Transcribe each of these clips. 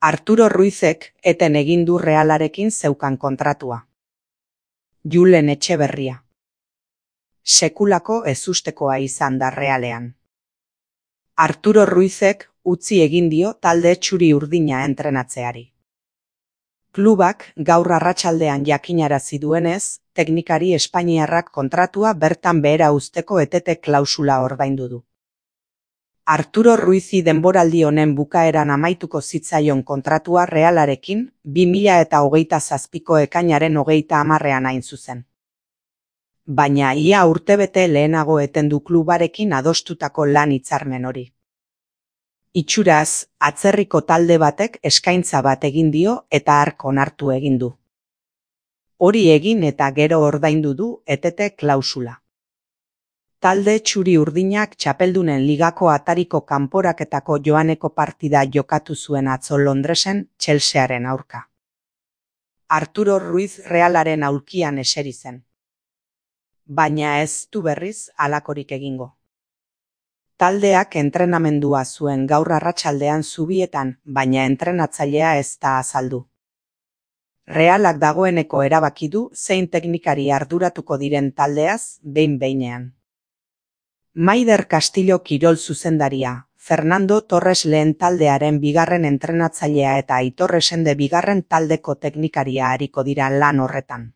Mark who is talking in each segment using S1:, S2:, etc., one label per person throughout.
S1: Arturo Ruizek eten egin du Realarekin zeukan kontratua. Julen Etxeberria. Sekulako ezustekoa izan da Realean. Arturo Ruizek utzi egin dio talde txuri-urdina entrenatzeari. Klubak gaur arratsaldean jakinarazi duenez, teknikari espainiarrak kontratua bertan behera uzteko etete klausula ordaindu du. Arturo Ruizi denboraldi honen bukaeran amaituko zitzaion kontratua Realarekin 2027ko ekainaren 30ean hain zuzen. Baina ia urtebete lehenago eten du klubarekin adostutako lan hitzarmen hori. Itxuraz, atzerriko talde batek eskaintza bat egin dio eta hark onartu egin du. Hori egin eta gero ordaindu du etete klausula. Talde txuri-urdinak txapeldunen ligako atariko kanporaketako joaneko partida jokatu zuen atzo Londresen Chelsearen aurka. Arturo Ruiz Realaren aulkian eseri zen. Baina ez du berriz halakorik egingo. Taldeak entrenamendua zuen gaur arratsaldean Zubietan, baina entrenatzailea ez da azaldu. Realak dagoeneko erabaki du zein teknikari arduratuko diren taldeaz behin-behinean. Maider Castillo kirol zuzendaria, Fernando Torres lehen taldearen bigarren entrenatzailea eta Aitor Esende bigarren taldeko teknikaria ariko dira lan horretan.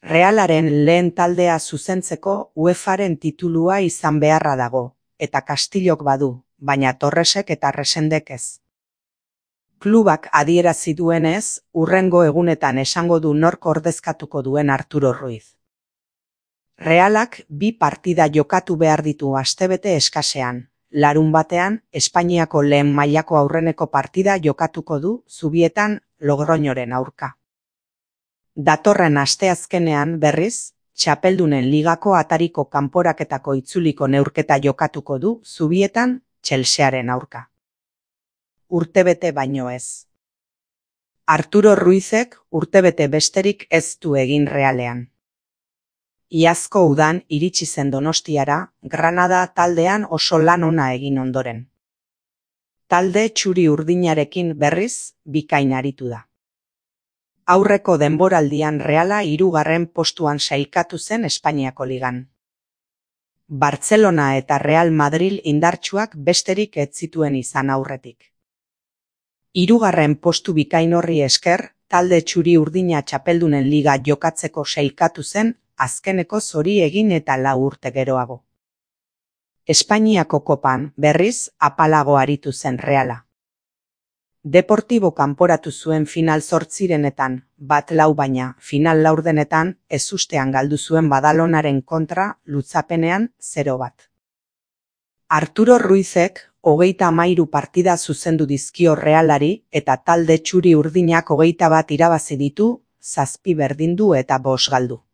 S1: Realaren lehen taldea zuzentzeko UEFAren titulua izan beharra dago, eta Castillok badu, baina Torresek eta Resendek ez. Klubak adierazi duenez, hurrengo egunetan esango du nork ordezkatuko duen Arturo Ruiz. Realak 2 partida jokatu behar ditu astebete eskasean. Larunbatean, Espainiako lehen mailako aurreneko partida jokatuko du Zubietan Logroñoren aurka. Datorren asteazkenean berriz, txapeldunen ligako atariko kanporaketako itzuliko neurketa jokatuko du Zubietan Chelsearen aurka. Urtebete baino ez. Arturo Ruizek urtebete besterik ez du egin Realean. Iazko udan iritsi zen Donostiara, Granada taldean oso lan ona egin ondoren. Talde txuri-urdinarekin berriz bikain aritu da. Aurreko denboraldian Reala 3. postuan sailkatu zen Espainiako ligan. Bartzelona eta Real Madrid indartsuak besterik ez zituen izan aurretik. 3. postu bikain horri esker, talde txuri-urdina txapeldunen liga jokatzeko sailkatu zen azkeneko zori egin eta 4 urte geroago. Espainiako kopan berriz apalago aritu zen Reala. Deportibo kanporatu zuen final 8etan, 1-4 baina final 4etan ezustean galdu zuen Badalonaren kontra lutzapenean 0-1. Arturo Ruizek 33 partida zuzendu dizkio Realari eta talde txuri-urdinak 21 irabazi ditu, 7 berdindu eta 5 galdu.